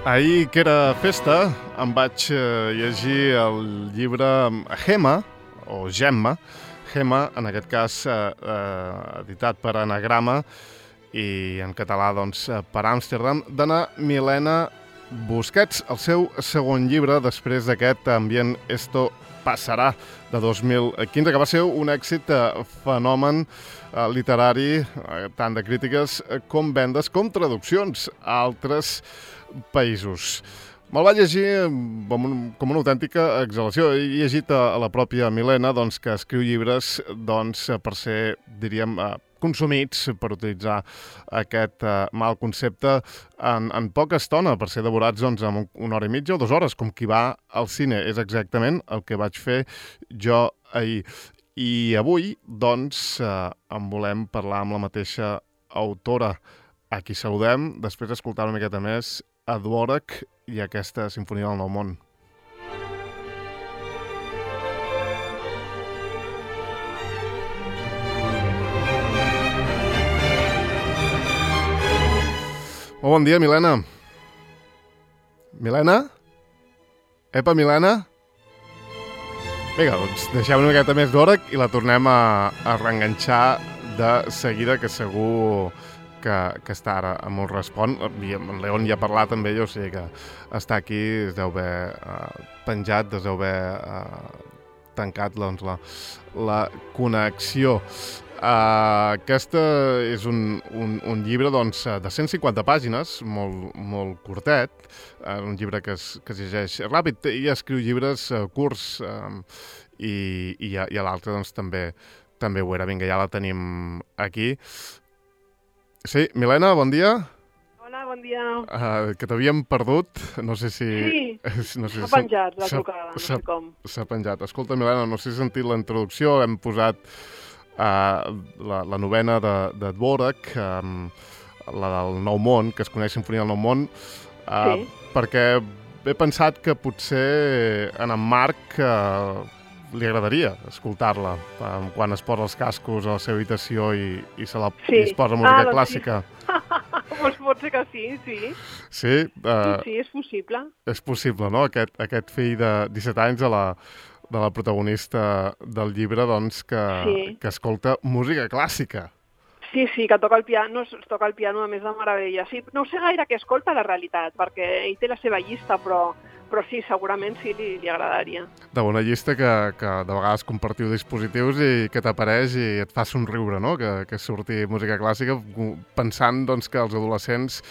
Ahir, que era festa, em vaig llegir el llibre Gemma, o Gemma, Gemma, en aquest cas editat per Anagrama i en català doncs, per Amsterdam, d'Anna Milena Busquets, el seu segon llibre després d'aquest Ambient Esto Passarà de 2015, que va ser un èxit fenomen literari, tant de crítiques com vendes, com traduccions a altres països. Me'l vaig llegir com una autèntica exhalació. He llegit a la pròpia Milena doncs, que escriu llibres doncs, per ser, diríem, consumits, per utilitzar aquest mal concepte, en poca estona, per ser devorats doncs, en una hora i mitja o 2 hores, com qui va al cine. És exactament el que vaig fer jo ahir. I avui, doncs, en volem parlar amb la mateixa autora, a qui saludem, després d'escoltar una miqueta més a Dvořák i aquesta Simfonia del Nou Món. Molt bon dia, Milena. Milena? Epa, Milena? Vinga, doncs deixem una miqueta més Dvořák i la tornem a reenganxar de seguida, que segur que està ara amb un respon. I en León ja ha parlat amb ell, o sigui que està aquí, es deu haver penjat, es deu haver tancat doncs, la connexió. Aquesta és un llibre doncs, de 150 pàgines, molt curtet, un llibre que es llegeix ràpid. Ella escriu llibres curts i a l'altre doncs, també ho era. Vinga, ja la tenim aquí. Sí, Milena, bon dia. Hola, bon dia. Que t'havíem perdut, no sé si... Sí, no sé s'ha penjat la trucada, no sé com. S'ha penjat. Escolta, Milena, no sé si has sentit la introducció, hem posat la novena de Dvořák, la del Nou Món, que es coneix Simfonia del Nou Món, perquè he pensat que potser en Marc li agradaria escoltar-la quan es posa els cascos a la seva habitació i es posa música clàssica. Doncs pot ser que sí. Sí? Sí, és possible. És possible, no? Aquest fill de 17 anys de la protagonista del llibre, doncs, que escolta música clàssica. Sí, que toca el piano, a més de meravella. Sí, no sé gaire què escolta, la realitat, perquè ell té la seva llista, però sí, segurament sí li agradaria. De bona llista que de vegades compartiu dispositius i que t'apareix i et fa somriure, no? Que surti música clàssica pensant doncs, que als adolescents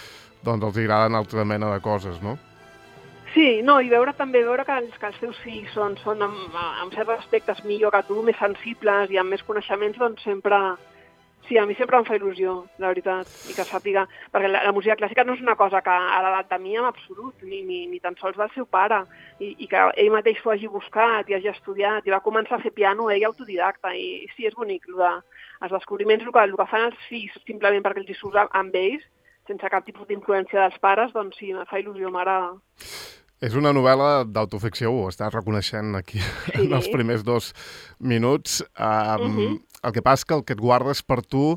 doncs, els agraden altra mena de coses, no? Sí, no, i veure que els teus fills són en certs aspectes millor que tu, més sensibles i amb més coneixements, doncs sempre... Sí, a mi sempre em fa il·lusió, la veritat, i que sàpiga, perquè la música clàssica no és una cosa que a l'edat de mi en absolut, ni tan sols del seu pare, i que ell mateix s'ho hagi buscat i hagi estudiat, i va començar a fer piano ell autodidacta, i sí, és bonic, els descobriments, el que fan els fills simplement perquè els hi surt amb ells, sense cap tipus d'influència dels pares, doncs sí, em fa il·lusió, m'agrada. És una novel·la d'autoficció, ho estàs reconeixent aquí en els primers 2 minuts. El que passa que el que et guardes per tu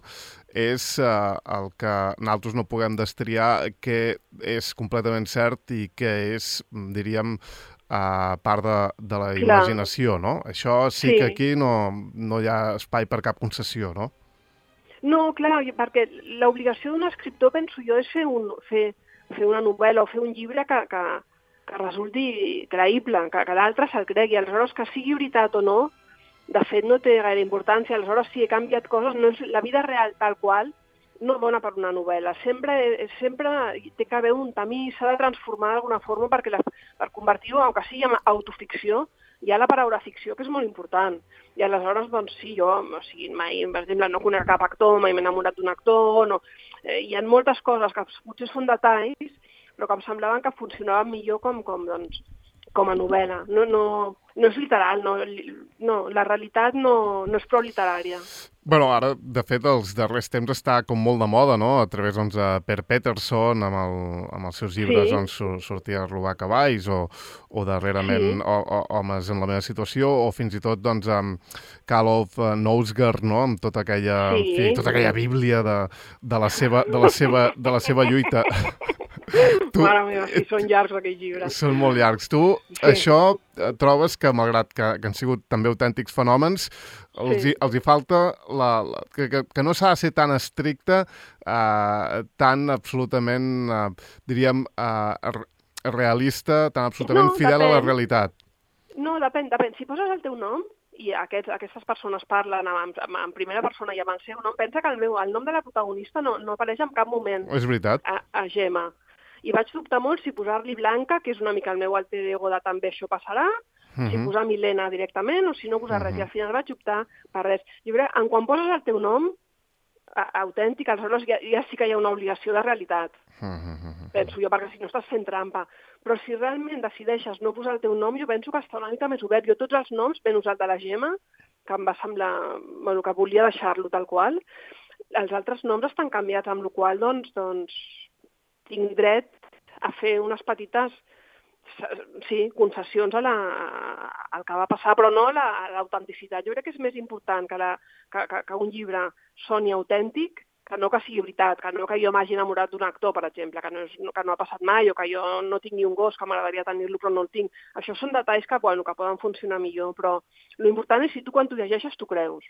és el que nosaltres no puguem destriar, que és completament cert i que és, diríem, part de la imaginació, no? Això sí que aquí no hi ha espai per cap concessió, no? No, clar, perquè l'obligació d'un escriptor, penso jo, és fer una novel·la o fer un llibre que resulti creïble, que l'altre se'l cregui. Aleshores, que sigui veritat o no, de fet no té gaire importància. Aleshores, si he canviat coses, la vida real tal qual no dona per una novel·la. Sempre té que haver un camí, s'ha de transformar d'alguna forma per convertir-ho, aunque sigui en autoficció, hi ha la paraula ficció, que és molt important. I aleshores, doncs sí, jo, mai, per exemple, no conec cap actor, mai m'he enamorat d'un actor, hi ha moltes coses que potser són detalls, però que em semblaven que funcionaven millor com a novel·la. No és literal, no, la realitat no és prou literària. Bueno, ara, de fet, els darrers temps està com molt de moda, no? A través doncs, de Per Pettersson, amb els seus llibres, doncs, sortia a robar cavalls, o darrerament Homes en la meva situació, o fins i tot doncs, amb Kalof Knausgaard, no? Amb tota aquella bíblia de la seva lluita Mare meva, sí, són llargs aquells llibres. Són molt llargs. Tu, això, trobes que, malgrat que han sigut també autèntics fenòmens, els hi falta que no s'ha de ser tan estricte, tan absolutament, diríem, realista, tan absolutament fidel a la realitat. No, depèn. Si poses el teu nom i aquestes persones parlen en primera persona i amb el seu nom, pensa que el nom de la protagonista no apareix en cap moment. És veritat. A Gemma. I vaig dubtar molt si posar-li Blanca, que és una mica el meu alter ego de també això passarà, si posar Milena directament o si no posar res. I al final vaig optar per res. Jo crec que quan poses el teu nom autèntic, aleshores ja sí que hi ha una obligació de realitat. Penso jo, perquè si no estàs fent trampa. Però si realment decideixes no posar el teu nom, jo penso que està una mica més obert. Jo tots els noms ben usat de la Gemma, que em va semblar, bueno, que volia deixar-lo tal qual, els altres noms estan canviats, amb la qual cosa, doncs, tinc dret a fer unes petites concessions al que va passar, però no l'autenticitat. Jo crec que és més important que un llibre soni autèntic que no que sigui veritat, que no que jo m'hagi enamorat d'un actor, per exemple, que no ha passat mai, o que jo no tinc ni un gos, que m'agradaria tenir-lo però no el tinc. Això són detalls que poden funcionar millor, però l'important és si tu quan t'ho llegeixes t'ho creus.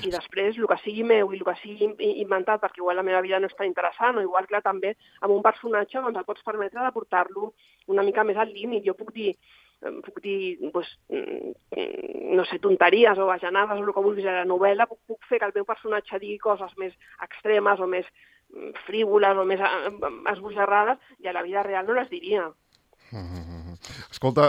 I després, el que sigui meu i el que sigui inventat, perquè igual la meva vida no és tan interessant, o igual, clar, també amb un personatge doncs et pots permetre de portar-lo una mica més al límit. Jo puc dir doncs, no sé, tonteries o bajanades o el que vulguis a la novel·la, puc fer que el meu personatge digui coses més extremes o més frívoles o més esbojarrades i a la vida real no les diria. Escolta,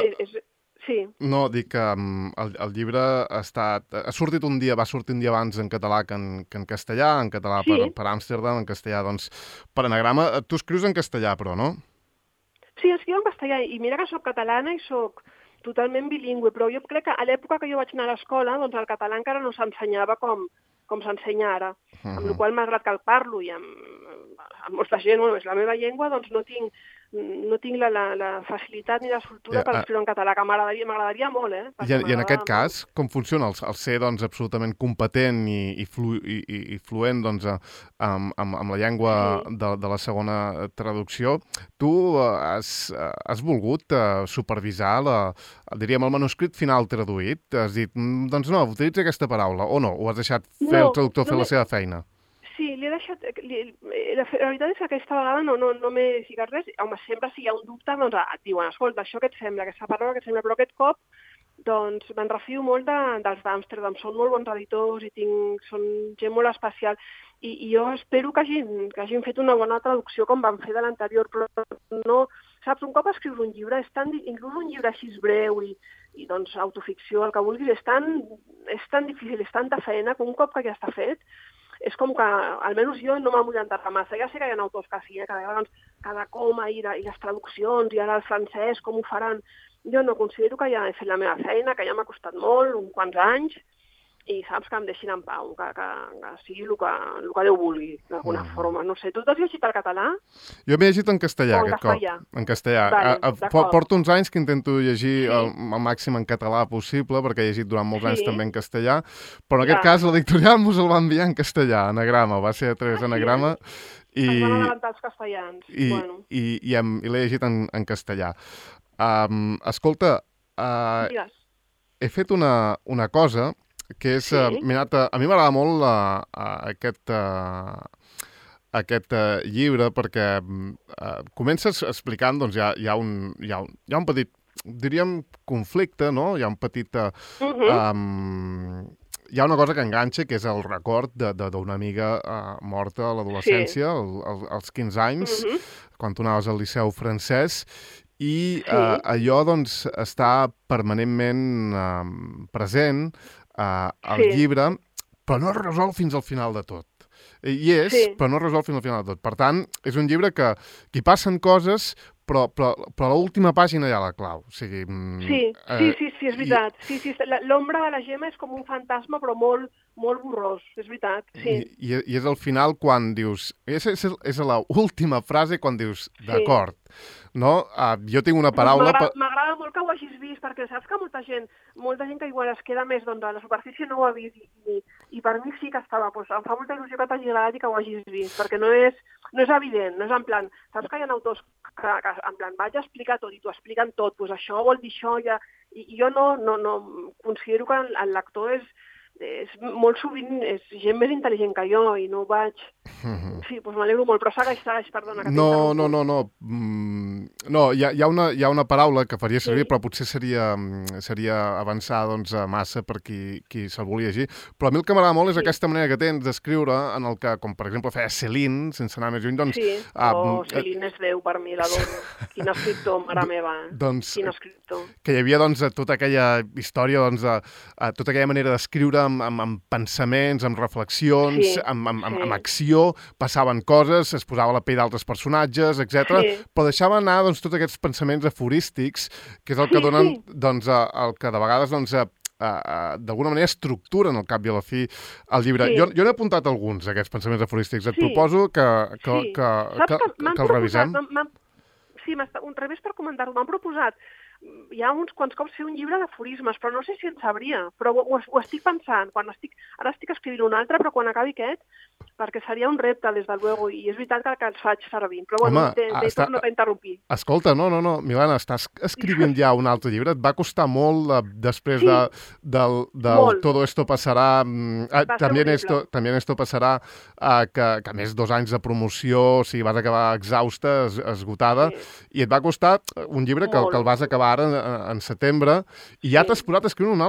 sí. No, dic que el llibre va sortir un dia abans en català que en castellà, en català per Amsterdam, en castellà doncs per anagrama. Tu escrius en castellà, però, no? Sí, escriu en castellà, i mira que soc catalana i soc totalment bilingüe, però jo crec que a l'època que jo vaig anar a l'escola, doncs el català encara no s'ensenyava com s'ensenya ara, amb la qual cosa, malgrat que el parlo i amb molta gent, és la meva llengua, doncs no tinc la facilitat ni la soltura per escriure en català, que m'agradaria molt, I en aquest cas, com funciona? El ser doncs, absolutament competent i fluent doncs, amb la llengua de la segona traducció, tu has volgut supervisar diríem, el manuscrit final traduït? Has dit, doncs no, utilitza aquesta paraula, o no? O has deixat fer el traductor fer la seva feina? Sí, l'he deixat... La veritat és que aquesta vegada no m'he ficat res. Home, sempre si hi ha un dubte, doncs et diuen, escolta, això què et sembla, aquesta paraula què et sembla, però aquest cop doncs me'n refio molt dels d'Amsterdam. Són molt bons editors i són gent molt especial. I jo espero que hagin fet una bona traducció com van fer de l'anterior, però no... Saps, un cop escrius un llibre, inclús un llibre així breu i doncs autoficció, el que vulguis, és tan difícil, és tanta feina que un cop que ja està fet, és com que, almenys jo, no m'amullantat massa. Ja sé que hi ha autors que sí, que doncs, cada coma i les traduccions, i ara el francès, com ho faran. Jo no considero que ja he fet la meva feina, que ja m'ha costat molt, uns quants anys, i saps, que em deixin en pau, que sigui el que Déu vulgui, d'alguna forma. No sé, tu t'has llegit el català? Jo m'he llegit en castellà, aquest cop. En castellà. Porto uns anys que intento llegir el màxim en català possible, perquè he llegit durant molts anys també en castellà, però en aquest cas l'editorial mos el va enviar en castellà, anagrama, va ser a través d'anagrama. Es van adelantar els castellans. I l'he llegit en castellà. Escolta, he fet una cosa que és, a mi m'agrada molt aquest llibre perquè comences explicant, doncs hi ha un petit, diríem, conflicte, no? Hi ha un petit... Hi ha una cosa que enganxa, que és el record d'una amiga morta a l'adolescència, als 15 anys, quan tu anaves al liceu francès, i allò, doncs, està permanentment present al llibre, però no es resol fins al final de tot. Però no es resol fins al final de tot. Per tant, és un llibre que hi passen coses, però a l'última pàgina hi ha la clau. O sigui, sí, és veritat. L'ombra de la Gemma és com un fantasma, però molt borrós, és veritat. I és al final quan dius... És l'última frase quan dius, d'acord, no? Jo tinc una paraula... M'agrada molt que ho hagis vist, perquè saps que molta gent que igual es queda més a la superfície no ho ha vist, i per mi sí que estava. Em fa molta il·lusió que t'hagi agradat i que ho hagis vist, perquè no és... no és evident, no és en plan, saps que hi ha autors que en plan vaig a explicar tot i t'ho expliquen tot, doncs això vol dir això, ja, i jo no considero que el lector és molt sovint és gent més intel·ligent que jo i no vaig... Sí, doncs m'alegro molt, però segueix, perdona, que t'interrompo. No, hi ha una paraula que faria servir, però potser seria avançar doncs, massa per qui se'l volia llegir. Però a mi el que m'agrada molt és aquesta manera que tens d'escriure, en el que, com per exemple feia Céline, sense anar més lluny, doncs... Sí, Céline és Déu per mi, l'adoro. Quin escriptor, mare meva, quin escriptor. Que hi havia doncs, tota aquella història, doncs, tota aquella manera d'escriure amb pensaments, amb reflexions, amb acció, passaven coses, es posava la pell d'altres personatges, etc. Però deixava anar doncs, tots aquests pensaments aforístics, que és el que donen, doncs, el que de vegades, doncs, d'alguna manera estructuren al cap i a la fi el llibre. Jo n'he apuntat alguns, aquests pensaments aforístics. Et proposo que el revisem. Sí, un revés per comentar-ho. M'han proposat ja uns quants cops fer un llibre d'aforismes, però no sé si en sabria, però ho estic pensant. Ara estic escrivint un altre, però quan acabi aquest, perquè seria un repte, des de luego, i és veritat que els faig servir. Però bueno, no t'interrompir. Escolta, no, Milana, estàs escrivint ja un altre llibre? Et va costar molt després del Todo esto pasará, también esto pasará, que a més 2 anys de promoció, o sigui, vas acabar exhausta, esgotada, i et va costar un llibre que el vas acabar ara en setembre, i ja t'has posat a escriure un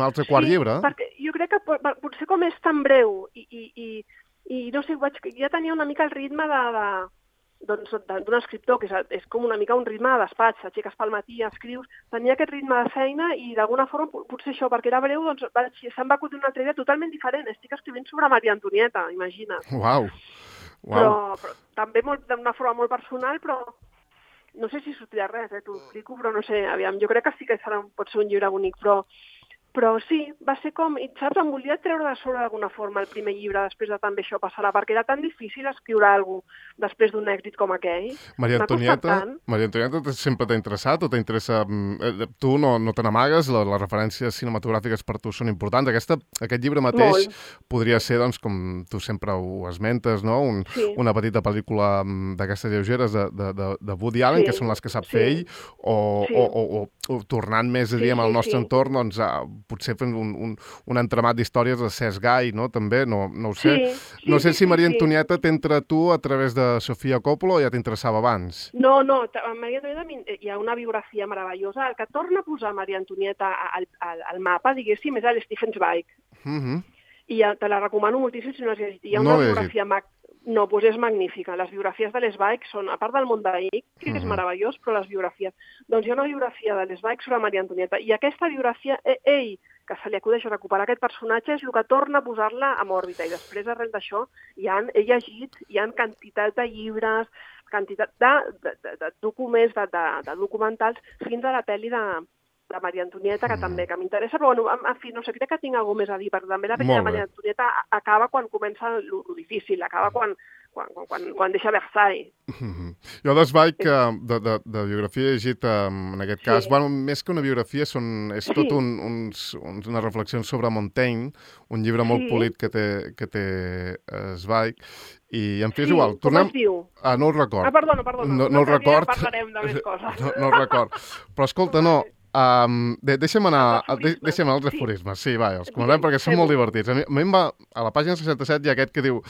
altre quart llibre. Sí, perquè jo crec que potser com és tan breu i no sé, ja tenia una mica el ritme d'un escriptor, que és com una mica un ritme de despatx, aixeques pel matí, escrius, tenia aquest ritme de feina i d'alguna forma, potser això, perquè era breu, doncs se'm va acudir una altra idea totalment diferent. Estic escrivint sobre Maria Antonieta, imagina't. Uau! Però també d'una forma molt personal, però no sé si sortirà res, t'ho explico, però no sé, aviam, jo crec que sí que pot ser un llibre bonic, però sí, va ser com, i saps, em volia treure de sobre d'alguna forma el primer llibre després de també això passarà, perquè era tan difícil escriure alguna cosa després d'un èxit com aquell. Maria Antonieta sempre t'ha interessat o t'interessa? Tu no te n'amagues, les referències cinematogràfiques per tu són importants. Aquest llibre mateix podria ser, doncs, com tu sempre ho esmentes, no? Una petita pel·lícula d'aquestes lleugeres de Woody Allen, que són les que sap fer ell, o tornant més, diríem, al nostre entorn, doncs, potser fent un entramat d'històries de Cesc Gai, no? També, no ho sé. No sé si Maria Antonieta t'entra tu a través de Sofia Coppola o ja t'interessava abans? No, a Maria Antonieta hi ha una biografia meravellosa. El que torna a posar Maria Antonieta al mapa, diguéssim, és l'Stephen Zweig. I te la recomano moltíssim si no has llegit. Hi ha una biografia... No, doncs és magnífica. Les biografies de l'Sveig són, a part del món d'Ic, que és meravellós, però les biografies... Doncs hi ha una biografia de l'Sveig sobre Maria Antonieta, i aquesta biografia, ell, que se li acudeix a recuperar aquest personatge, és el que torna a posar-la en òrbita, i després, arrel d'això, he llegit, hi ha quantitat de llibres, quantitat de documents, de documentals, fins a la pel·li de Maria Antonieta, que també que m'interessa, però bueno, en fi, no sé, crec que tinc alguna cosa més a dir, perquè també la pel·li de Maria Antonieta acaba quan comença el difícil, acaba quan deixa Versailles. Jo d'Sveig, de biografia he llegit, en aquest cas, bueno, més que una biografia, és tot unes reflexions sobre Montaigne, un llibre molt polit que té Zweig, i en fi, és igual. Com es diu? No el record. Perdona. No el record. Parlarem de més coses. No el record. Però escolta, no... Deixa'm anar als aforismes. Sí, va, els comentem perquè són molt divertits. A mi va, a la pàgina 67 hi ha aquest que diu: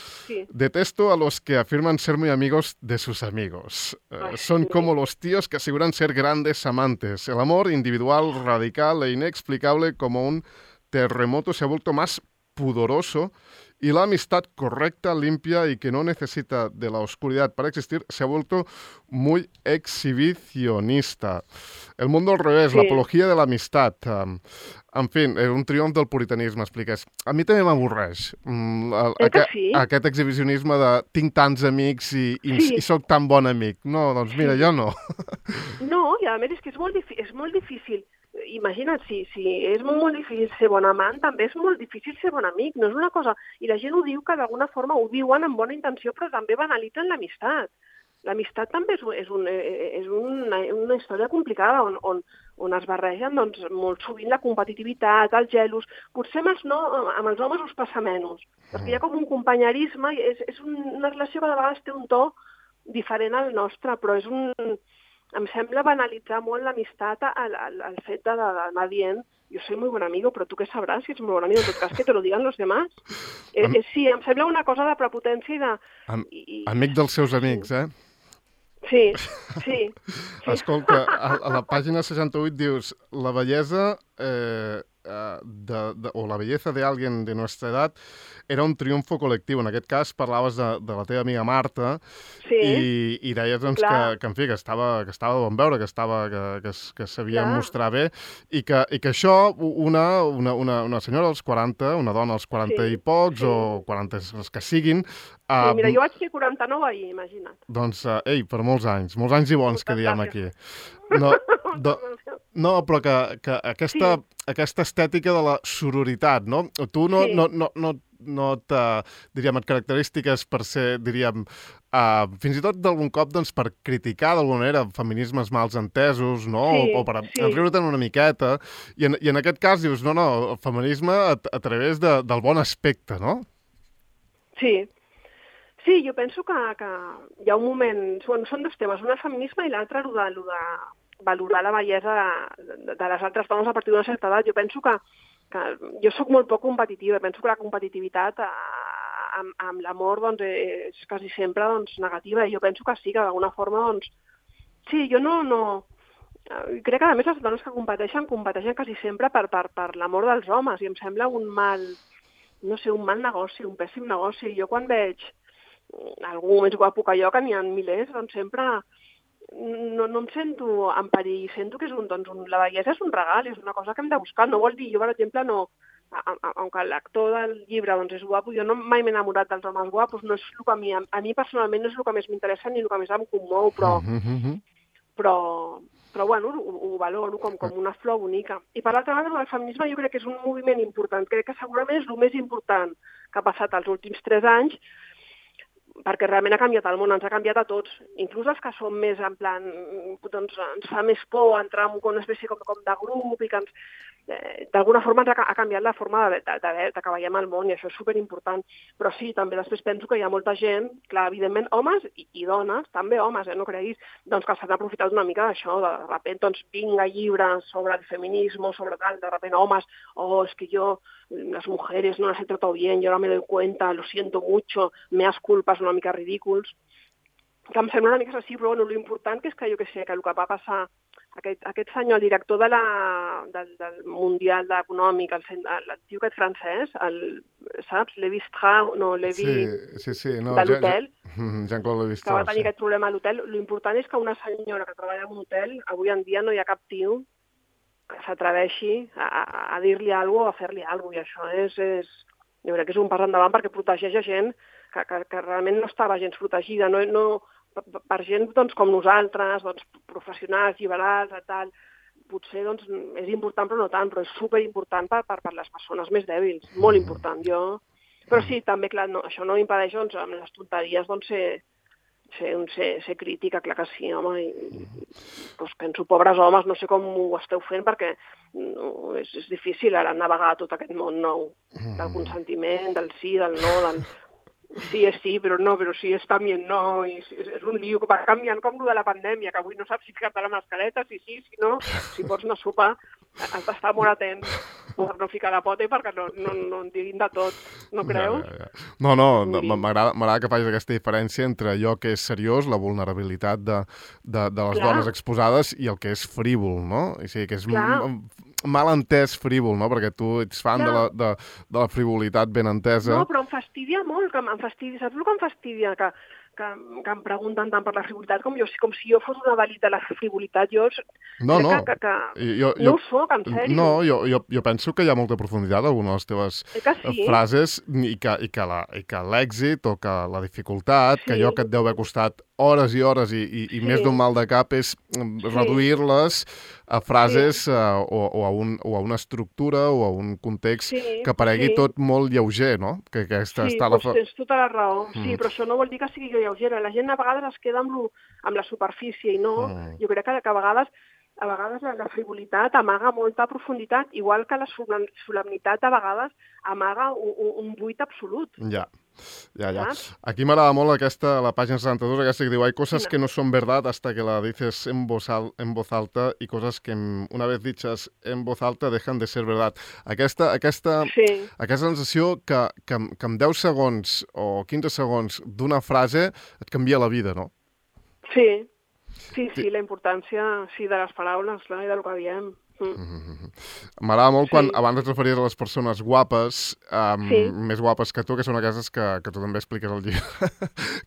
detesto a los que afirman ser muy amigos de sus amigos. Son como los tíos que aseguran ser grandes amantes. El amor individual, radical e inexplicable como un terremoto se ha vuelto más pudoroso y la amistad correcta, limpia y que no necesita de la oscuridad para existir se ha vuelto muy exhibicionista. El mundo al revés, la apología de la amistad. En fi, un triomf del puritanisme, expliques. A mi també m'avorreix aquest exhibicionisme de tinc tants amics i sóc tan bon amic. No, doncs mira, jo no. No, i a més és que és molt difícil. Imagina't, si és molt difícil ser bon amant, també és molt difícil ser bon amic, no és una cosa... I la gent ho diu que d'alguna forma ho diuen amb bona intenció, però també banalitzen l'amistat. l'amistat també és una història complicada on es barregen doncs, molt sovint la competitivitat, els gelos. Potser amb els homes us passa menys, perquè hi ha com un companyerisme, és una relació que de vegades té un to diferent al nostre, però em sembla banalitzar molt l'amistat al fet d'anar dient yo soy muy buen amigo, però tu què sabràs si ets muy buen amigo? En tot cas, que te lo digan los demás. Sí, em sembla una cosa de prepotència i de... Amic dels seus amics, eh? Sí. Escolta, a la pàgina 68 dius la bellesa o la belleza de alguien de nuestra edad era un triunfo col·lectiu. En aquest cas parlaves de la teva amiga Marta i deies doncs, que en fi, que estava de bon veure, que sabia mostrar bé i que això una senyora als 40, una dona als 40 i pocs o 40 els que siguin... mira, jo vaig fer 49 ahir, imagina't. Doncs, per molts anys i bons que diem aquí. No, però que aquesta estètica de la sororitat, no? Tu no et característiques per ser, diríem, fins i tot d'algun cop doncs, per criticar d'alguna manera feminismes mals entesos, no? O per enriure-te'n una miqueta. I en aquest cas dius, no, el feminisme a través del bon aspecte, no? Sí, jo penso que hi ha un moment... Són dos temes, un el feminisme i l'altre el de valorar la bellesa de les altres dones a partir d'una certa edat. Jo penso que jo sóc molt poc competitiva, penso que la competitivitat amb l'amor doncs, és quasi sempre doncs, negativa, i jo penso que sí, que d'alguna forma, doncs... Sí, jo no... Crec que a més les dones que competeixen quasi sempre per l'amor dels homes, i em sembla un mal negoci, un pèssim negoci. Jo quan veig algú més guapo que jo, que n'hi ha milers, doncs sempre no em sento en perill, sento que la bellesa és un regal, és una cosa que hem de buscar. No vol dir, jo per exemple, aunque l'actor del llibre doncs, és guapo, jo mai m'he enamorat dels homes guapos, no és el que a mi personalment no és el que més m'interessa ni el que més em commou, però bueno, ho valoro com una flor bonica. I per l'altra banda, el feminisme jo crec que és un moviment important, crec que segurament és el més important que ha passat els últims 3 anys, perquè realment ha canviat el món, ens ha canviat a tots, inclús els que som més en plan, doncs ens fa més por entrar en una espècie com de grup i que d'alguna forma ens ha canviat la forma de que veiem el món, i això és superimportant. Però sí, també després penso que hi ha molta gent, clar, evidentment homes i dones, també homes, no creguis, doncs que s'han aprofitat una mica d'això, de repente, doncs vinga llibres sobre el feminisme, sobre tal, de repente homes, es que yo, las mujeres no las he tratado bien, yo ahora me doy cuenta, lo siento mucho, meas culpas una mica ridículs, que em sembla una mica així, però bueno, l'important que és que jo que sé, que el que va passar aquest senyor, el director del Mundial Econòmic, el tio aquest francès, saps? Levi Strauss, no, Levi... Sí, no, de l'hotel, Jean-Claude Levi Strauss, que va tenir aquest problema a l'hotel. L'important és que una senyora que treballa en un hotel, avui en dia no hi ha cap tio que s'atreveixi a dir-li alguna cosa o a fer-li alguna cosa, i això jo crec que és un pas endavant perquè protegeix a gent que realment no estava gens protegida, per gent doncs, com nosaltres, doncs, professionals, liberals, tal, potser doncs, és important però no tant, però és superimportant per les persones més dèbils, molt important. Però sí, també, clar, això no impedeix doncs, amb les tonteries doncs, ser crítica, clar que sí, home, i doncs, penso, pobres homes, no sé com ho esteu fent, perquè és difícil ara navegar tot aquest món nou, del consentiment, del sí, del no, del... Sí és sí, però no, però sí és també no, i és un lío que va canviant com el de la pandèmia, que avui no saps si ficar-te la mascareta, si sí, si no, si pots anar a sopar, has d'estar molt atent per no ficar la pota i perquè no en diguin de tot, no creus? No, m'agrada que facis aquesta diferència entre allò que és seriós, la vulnerabilitat de les dones exposades, i el que és frívol, no? O sigui, que és mal entès frívol, no? Perquè tu ets fan de la frivolitat ben entesa. No, però em fastidia molt, saps el que em fastidia? Que em pregunten tant per la frivolitat com si jo fos una delit de la frivolitat. Jo no ho soc, en sèrio. No, jo penso que hi ha molta profunditat en algunes de les teves frases i que l'èxit o que la dificultat, que allò que et deu haver costat hores i hores i més d'un mal de cap és reduir-les a frases o a una estructura o a un context que aparegui tot molt lleuger, no? Que aquesta Sí, està doncs tens tota la raó. Sí, però això no vol dir que sigui lleugera. La gent a vegades es queda amb la superfície i no. Jo crec que a vegades la frivolitat amaga molta profunditat, igual que la solemnitat a vegades amaga un buit absolut. Ja. Aquí m'agrada molt la pàgina 72, aquesta que diu hay cosas que no son verdad hasta que la dices en voz alta y cosas que una vez dichas en voz alta dejan de ser verdad. Aquesta sensació que en 10 segons o 15 segons d'una frase et canvia la vida, no? Sí, la importància de les paraules i del que diem. M'agrada molt quan abans et referies a les persones guapes, més guapes que tu, que són aquestes que tu també expliques al llibre,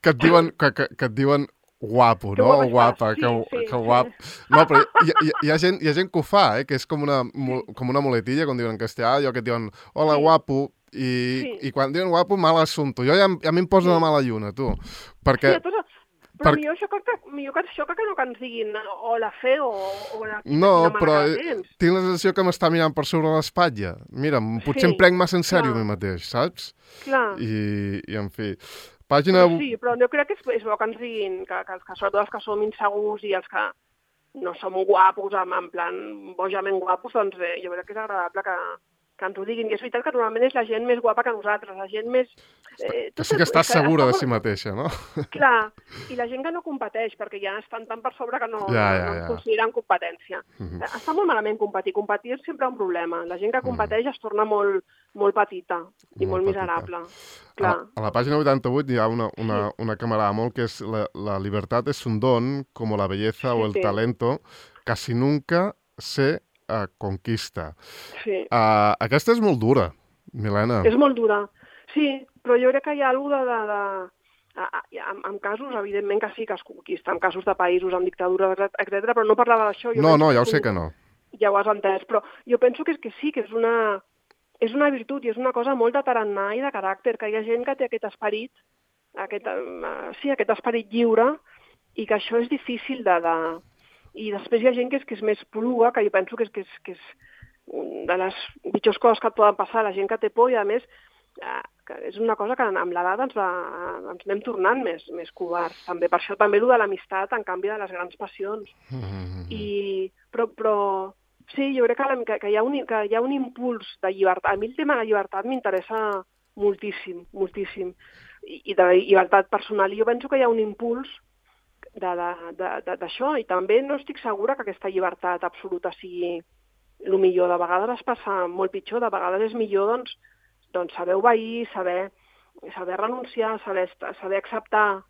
que et diuen guapo, no? O guapa, que guap. No, però hi ha gent que ho fa, que és com una muletilla, com diuen en castellà, allò que et diuen hola, guapo, i quan diuen guapo, mal assumpto. Jo ja m'hi poso una mala lluna, tu. Perquè... Però millor això que no que ens diguin hola feo o no, però tinc la sensació que m'està mirant per sobre l'espatlla. Mira, potser em prenc massa en sèrio a mi mateix, saps? Clar. I en fi... Pàgina... Sí, però jo crec que és bo que ens diguin que sobretot els que som insegurs i els que no som guapos, en plan bojament guapos, doncs jo crec que és agradable que ens ho diguin. I és veritat que normalment és la gent més guapa que nosaltres, la gent més... Que sí que estàs segura de si mateixa, no? Clar, i la gent que no competeix, perquè ja estan tan per sobre que no consideren competència. Està molt malament competir. Competir és sempre un problema. La gent que competeix es torna molt petita i molt miserable. A la pàgina 88 hi ha una que m'agrada molt, que és la libertad es un don, como la belleza o el talento, casi nunca se conquista. Sí. Aquesta és molt dura, Milena. És molt dura, sí, però jo crec que hi ha alguna en casos, evidentment que sí que es conquista, en casos de països amb dictadura, etc. Però no parlava d'això. No, ja ho sé que no. Ja ho has entès, però jo penso que sí, que és una virtut i és una cosa molt de tarannà i de caràcter, que hi ha gent que té aquest esperit, aquest esperit lliure, i que això és difícil I després hi ha gent que és més poruga, que jo penso que és una de les pitjors coses que et poden passar, la gent que té por, i a més que és una cosa que amb l'edat ens anem tornant més covards. També per això també el de l'amistat en canvi de les grans passions. Però sí, jo crec que hi ha un impuls de llibertat. A mi el tema de la llibertat m'interessa moltíssim, moltíssim. I de llibertat personal. I jo penso que hi ha un impuls d'això, i també no estic segura que aquesta llibertat absoluta sigui el millor. De vegades es passa molt pitjor, de vegades és millor doncs saber obeir, saber renunciar, saber acceptar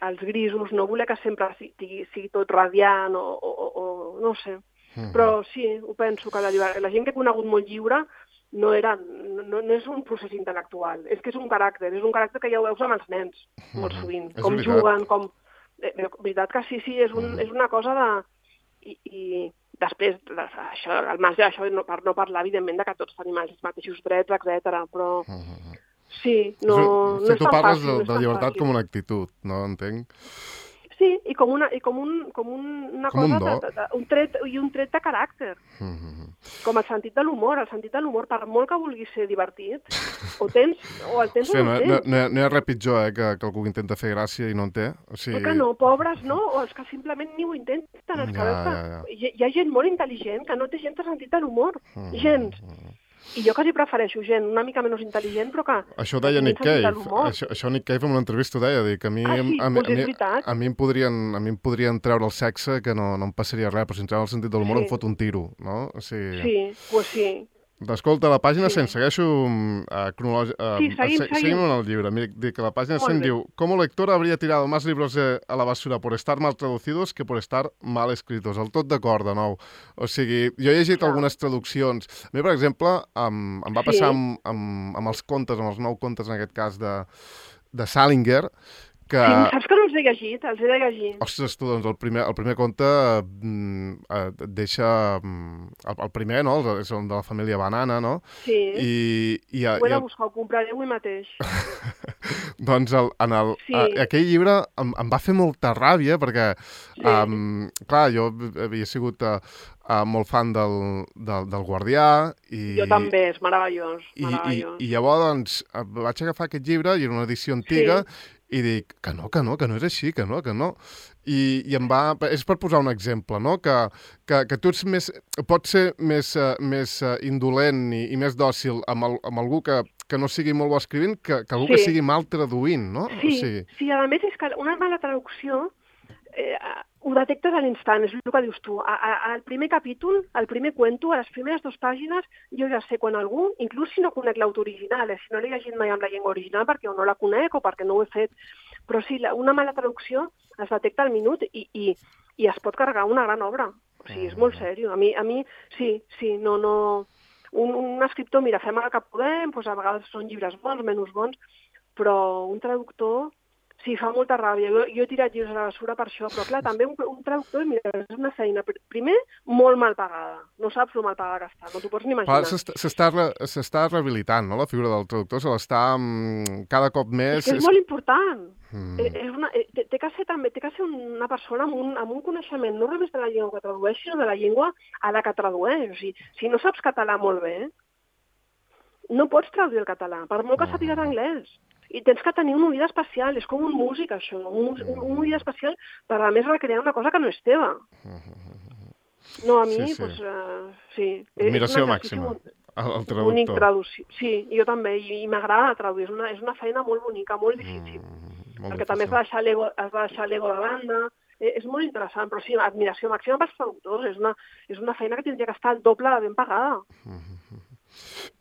els grisos, no voler que sempre sigui tot radiant o no sé. Però sí, ho penso, que la gent que he conegut molt lliure no és un procés intel·lectual, és que és un caràcter que ja ho veus amb els nens, molt sovint, com juguen, com... De veritat que sí, és una cosa de... I després, al marge d'això, per no parlar, evidentment, que tots tenim els mateixos drets, etc. Però sí, no és tan fàcil. Tu parles de llibertat com una actitud, no? Entenc? Sí, i com una cosa, un tret de caràcter. Com el sentit de l'humor. El sentit de l'humor, per molt que vulguis ser divertit, o el tens o no el tens. No hi ha res pitjor, que algú intenta fer gràcia i no en té. Que no, pobres, no? O els que simplement ni ho intenten. Hi ha gent molt intel·ligent que no té gens de sentit de l'humor. Gens. I jo quasi prefereixo gent una mica menys intel·ligent, però que... Això deia Nick Cave. Això Nick Cave en una entrevista ho deia, que a mi em podrien treure el sexe, que no em passaria res, però si em treuen el sentit de l'humor em fot un tiro, no? Sí, pues sí. Escolta, la pàgina 100, segueixo seguim en el llibre. Dic que la pàgina 100 diu: como lector habría tirado más libros a la basura por estar mal traducidos que por estar mal escritos. El tot d'acord, de nou. O sigui, jo he llegit algunes traduccions. A mi, per exemple, em va passar amb els contes, amb els 9 contes, en aquest cas, de Salinger, que... Sí, saps que no els he llegit? Els he de llegir. Ostres, tu, doncs el primer conte et deixa... El primer, no? És el de la família Banana, no? Sí, ho he I de buscar, ho compraré avui mateix. doncs Sí, aquell llibre em va fer molta ràbia perquè, sí, clar, jo havia sigut molt fan del Guardià jo també, és meravellós, meravellós. i llavors doncs, vaig agafar aquest llibre i era una edició antiga Sí, i dic que no és així, que no. I em va... És per posar un exemple, no? Que tu ets pots ser més indolent i més dòcil amb algú que no sigui molt bo escrivint que algú que sí, sigui mal traduint, no? O sí, sigui, sí, a més és que una mala traducció ho detectes a l'instant, és el que dius tu. Al primer capítol, al primer cuento, a les primeres 2 pàgines, jo ja sé quan algú, inclús si no conec l'autor original, si no l'he llegit mai amb la llengua original perquè o no la conec o perquè no ho he fet, però sí, una mala traducció es detecta al minut i es pot carregar una gran obra. O sigui, és molt seriós. A mi sí, no... Un escriptor, mira, fem el que podem, doncs a vegades són llibres bons, menys bons, però un traductor sí, fa molta ràbia. Jo he tirat llibres a la bessura per això, però clar, també un traductor, mira, és una feina, primer, molt mal pagada. No saps el mal pagada que està, no t'ho pots ni imaginar. S'està rehabilitant, no?, la figura del traductor, se l'està cada cop més... És que és molt important. Té que ser també, té que ser una persona amb un coneixement no només de la llengua que tradueix, sinó de la llengua a la que tradueix. O sigui, si no saps català molt bé, no pots traduir el català, per molt que sàpigues anglès. I tens que tenir un oïda especial, és com un músic, això, un oïda especial per, a més, recrear una cosa que no és teva. No, a mi, Sí. Doncs, sí. Admiració màxima al traductor. Sí, jo també, i m'agrada traduir, és una feina molt bonica, molt difícil. Molt perquè també has de deixar l'ego de banda, és molt interessant, però sí, admiració màxima pels traductors, és una feina que tindria que estar el doble de ben pagada.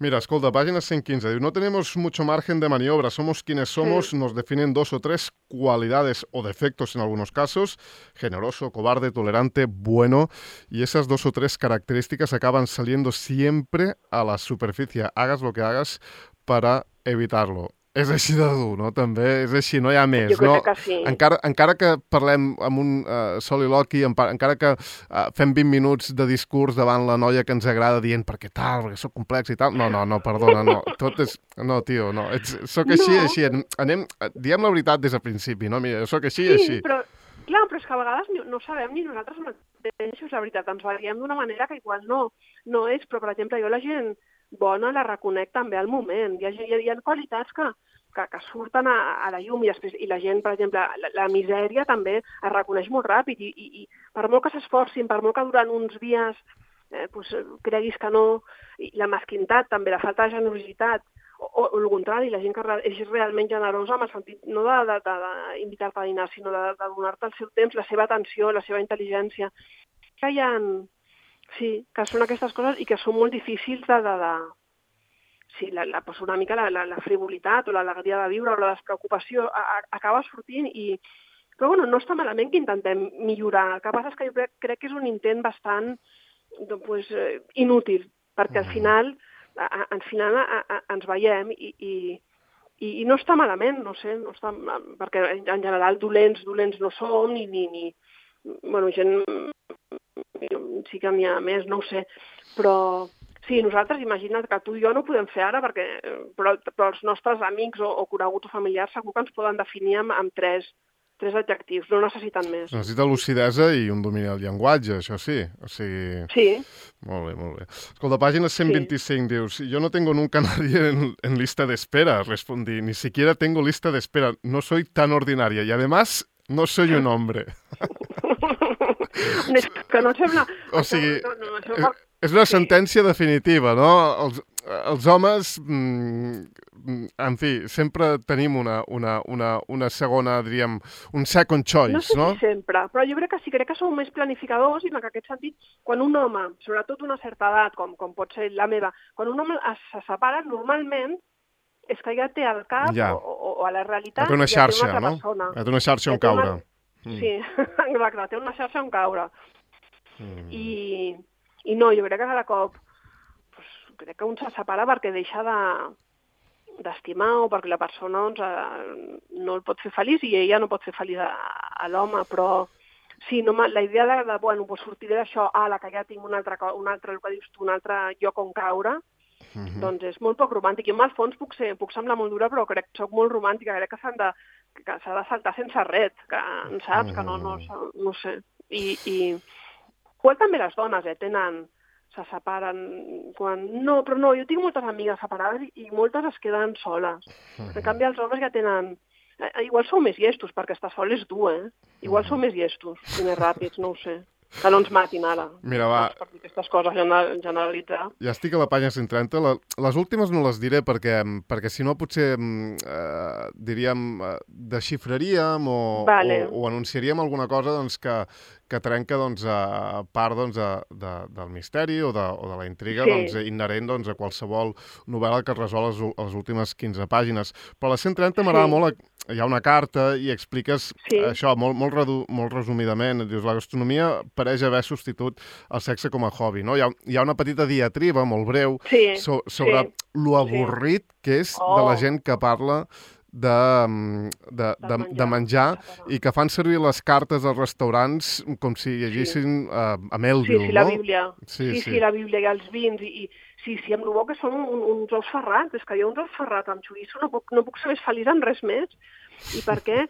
Mira, escolta, página 115, diu, no tenemos mucho margen de maniobra, somos quienes somos, nos definen 2 o 3 cualidades o defectos en algunos casos, generoso, cobarde, tolerante, bueno, y esas 2 o 3 características acaban saliendo siempre a la superficie, hagas lo que hagas para evitarlo. És així de dur, no? També és així, no hi ha més. Jo crec que sí. Encara que parlem amb un soliloqui, encara que fem 20 minuts de discurs davant la noia que ens agrada dient perquè soc complex i tal, no, perdona, no. Tot és... No, tio, no. Soc així. Diem la veritat des del principi, no? Mira, soc així. Sí, però és que a vegades no sabem ni nosaltres mateixos la veritat. Ens veiem d'una manera que igual no és, però, per exemple, jo la gent bona la reconec també al moment. Hi ha qualitats que surten a la llum i la gent, per exemple, la misèria també es reconeix molt ràpid i per molt que s'esforcin, per molt que durant uns dies creguis que no, i la mesquintat també, la falta de generositat, o el contrari, la gent que és realment generosa amb el sentit no d'invitar-te a dinar, sinó de donar-te el seu temps, la seva atenció, la seva intel·ligència. Sí, que són aquestes coses i que són molt difícils Sí, una mica la frivolitat o l'alegria de viure o la despreocupació acaba sortint Però bueno, no està malament que intentem millorar. El que passa és que jo crec que és un intent bastant inútil, perquè al final ens veiem i no està malament, no sé, perquè en general dolents no som, bueno, gent sí que n'hi ha més, no ho sé, però sí, nosaltres, imagina't que tu i jo no ho podem fer ara, però els nostres amics o coneguts o familiars segur que ens poden definir amb tres adjectius, no necessiten més. Necessita lucidesa i un domini del llenguatge, això sí. O sigui... Sí. Molt bé. Escolta, página 125, dius, yo no tengo nunca nadie en lista de espera, respondí, ni siquiera tengo lista de espera, no soy tan ordinaria y además no soy un hombre. Que no sembla... O sigui, és una sentència definitiva, no? Els homes, en fi, sempre tenim una segona, diríem, un second choice, no? No sé si sempre, però jo crec que som més planificadors i en aquest sentit, quan un home, sobretot una certa edat, com pot ser la meva, quan un home se separa, normalment és que ja té al cap o a la realitat ja té una xarxa, ja té una altra persona. Ja té una xarxa on caure. Sí, exacte, té una xarxa on caure. I no, jo crec que cada cop crec que un se separa perquè deixa d'estimar o perquè la persona doncs, no el pot fer feliç i ella no pot fer feliç a l'home, però sí, no, la idea de bueno, pues sortiré d'això, la que ja tinc un altre, el que dius tu, un altre lloc on caure, doncs és molt poc romàntic. Jo, al fons, puc semblar molt dura, però crec que soc molt romàntica, crec que s'ha de saltar sense res, que saps, que no sé. I igual també les dones, se separen quan... No, però no, jo tinc moltes amigues separades i moltes es queden soles. En canvi, els homes ja tenen... Igual sou més llestos, perquè estar sol és dur, Igual sou més llestos i més ràpids, no ho sé. Que no ens matin ara. Mira, va. Per dir aquestes coses, generalitzar. Ja estic a la pàgina 130. Les últimes no les diré perquè si no potser, diríem, desxifraríem o anunciaríem alguna cosa doncs, que trenca doncs, a part doncs, del misteri o de la intriga doncs, inherent doncs, a qualsevol novel·la que es resol les últimes 15 pàgines. Però a les 130 m'agrada molt, hi ha una carta i expliques això molt resumidament. Dius, la gastronomia pareix haver substitut el sexe com a hobby. No? Hi ha una petita diatriba molt breu sobre lo avorrit que és de la gent que parla de menjar i que fan servir les cartes als restaurants com si llegissin a Melville, la Bíblia. Sí, la Bíblia i els vins. Sí, amb el bo que són uns ous ferrats. És que jo uns ous ferrats amb xoriço no puc ser més feliç en res més. I per què?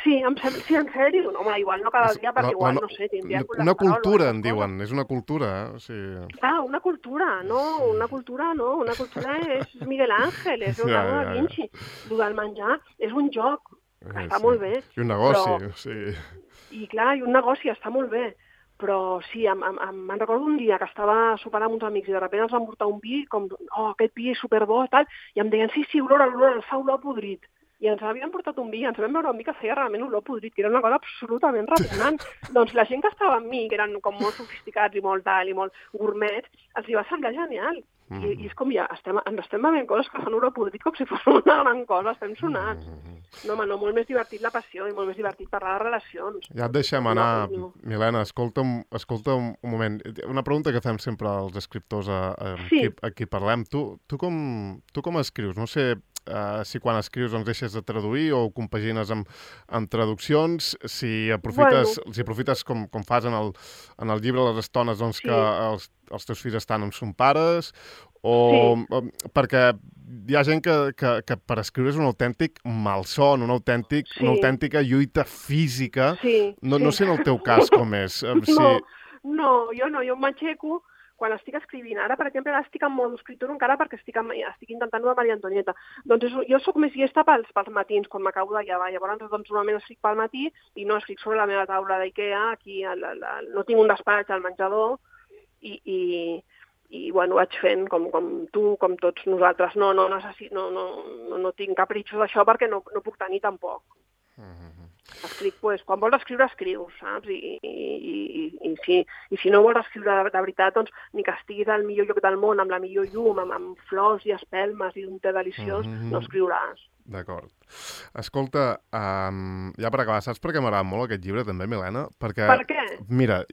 Sí, en sèrio. No, igual no cada dia, perquè igual, no sé, tindria una cultura, en diuen. És una cultura, Una cultura, no. Una cultura és Miguel Ángel, és Leonardo da Vinci. El del menjar és un joc, està molt bé. I un negoci, sí. I clar, i un negoci, està molt bé. Però sí, me'n recordo un dia que estava sopant amb uns amics i de sobte ens van portar un vi, com, aquest vi és superbo, tal, i em deien, sí, olor, el fa olor podrit. I ens havien portat un vi, ens vam veure un vi que feia realment olor podrit, que era una cosa absolutament repugnant. Doncs la gent que estava amb mi, que eren com molt sofisticats i molt gourmets, els hi va semblar genial. I és com ja, ens estem bevent coses que fan olor podrit com si fos una gran cosa, estem sonats. No, molt més divertit la passió i molt més divertit parlar de relacions. Ja et deixem anar, Milena, escolta un moment. Una pregunta que fem sempre als escriptors a qui parlem. Tu com escrius? No sé si quan escrius doncs deixes de traduir o compagines amb traduccions, si aprofites com fas en el llibre les estones doncs, que els teus fills estan amb son pares, perquè hi ha gent que per escriure és un autèntic malson, una autèntica lluita física. No sé en el teu cas com és. No, jo m'aixeco quan estic escrivint. Ara, per exemple, estic en modo escriptor encara perquè estic intentant de Maria Antonieta. Doncs jo sóc més llesta pels matins, quan m'acabo de llevar. Llavors, normalment escric pel matí i no escric sobre la meva taula d'Ikea. Aquí no tinc un despatx al menjador i bueno, vaig fent com tu, com tots nosaltres. No tinc capritxos d'això perquè no puc tenir tampoc. Escric, quan vols escriure, escrius, saps? I si no vols escriure de veritat, doncs ni que estiguis al millor lloc del món, amb la millor llum, amb flors i espelmes i un te deliciós, no escriuràs. D'acord. Escolta, ja per acabar, saps per què m'agrada molt aquest llibre també, Milena? Per què? Mira,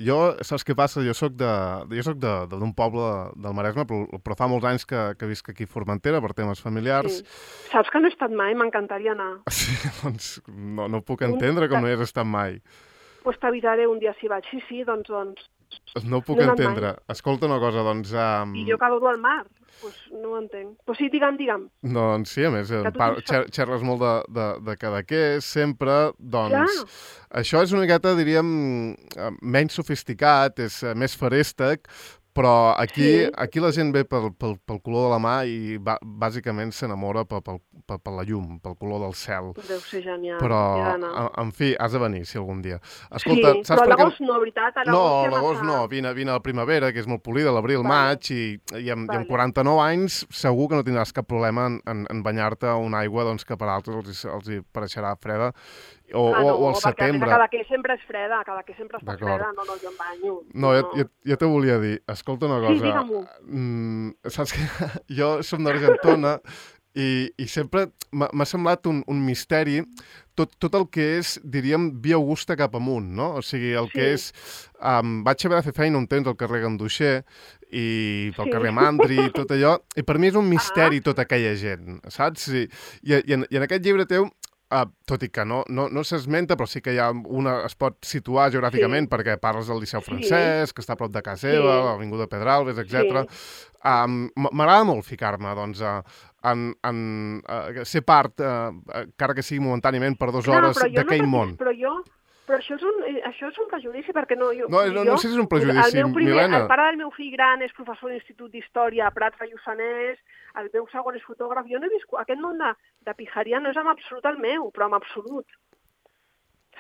saps què passa? Jo soc d'un poble del Maresme, però fa molts anys que visc aquí a Formentera per temes familiars. Sí. Saps que no he estat mai? M'encantaria anar. Sí, doncs no puc entendre com no hi has estat mai. Doncs t'avisaré un dia si vaig. Sí, doncs... No ho puc entendre. Escolta una cosa, doncs... I jo que adoro el mar. No ho entenc. Però sí, digue'm. Doncs sí, a més, xerres molt de Cadaqués, sempre, doncs... Això és una miqueta, diríem, menys sofisticat, és més feréstec, però aquí la gent ve pel color de la mà i bàsicament s'enamora per la llum, pel color del cel. Deu ser genial. Però, en fi, has de venir, si algun dia. Escolta, sí, però a l'agost no, veritat? No, a l'agost no. Vine a la primavera, que és molt polida, l'abril, maig, i amb 49 anys segur que no tindràs cap problema en banyar-te a una aigua doncs, que per altres els hi pareixerà freda. O al setembre. Cada que sempre és freda, cada que sempre està freda, no, jo em banyo. No, jo te volia dir, escolta una cosa. Sí, digue-m'ho. Saps que jo som d'Argentona i sempre m'ha semblat un misteri tot el que és, diríem, Via Augusta cap amunt, no? O sigui, el que és... Vaig haver de fer feina un temps al carrer Ganduixer i pel carrer Mandri i tot allò, i per mi és un misteri tota aquella gent, saps? I en aquest llibre teu, tot i que no s'esmenta, però sí que es pot situar geogràficament perquè parles del Liceu Francès, que està a prop de casa seva, l'Avinguda Pedralbes, etc. M'agrada molt ficar-me, doncs, en ser part, encara que sigui momentàniament per 2 hores, d'aquell món. Però això és un prejudici, perquè no sé si és un prejudici, Milena. El pare del meu fill gran és professor d'Institut d'Història a Prats de Lluçanès, el meu segon és fotògraf. Jo no he viscut... Aquest món de pijaria no és en absolut el meu, però en absolut.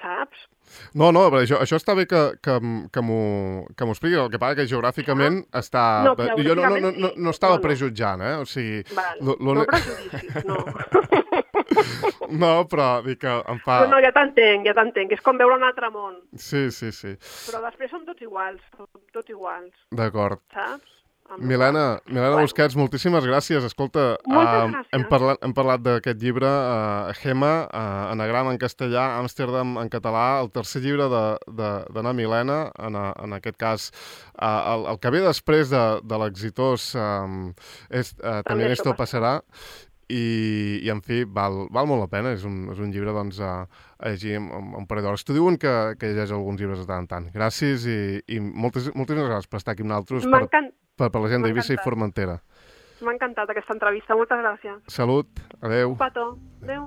Saps? No, això està bé que m'ho expliqui. El que passa que geogràficament està... Jo no estava prejutjant, O sigui... No prejudicis, no. No, però dic que em fa... No, ja t'entenc, és com veure un altre món. Sí. Però després som tots iguals. D'acord. Saps? Milena Busquets, moltíssimes gràcies. Escolta, hem parlat d'aquest llibre, Gema, Anagrama en castellà, Amsterdam en català, el tercer llibre d'Anna Milena, en aquest cas, el que ve després de l'exitós També esto passarà, i en fi, val molt la pena, és un llibre doncs, a llegir un parell d'hores. T'ho diuen que llegeix alguns llibres de tant en tant. Gràcies i moltíssimes gràcies per estar aquí amb nosaltres, per la gent d'Eivissa i Formentera. M'ha encantat aquesta entrevista, moltes gràcies. Salut, adeu. Un petó, adeu.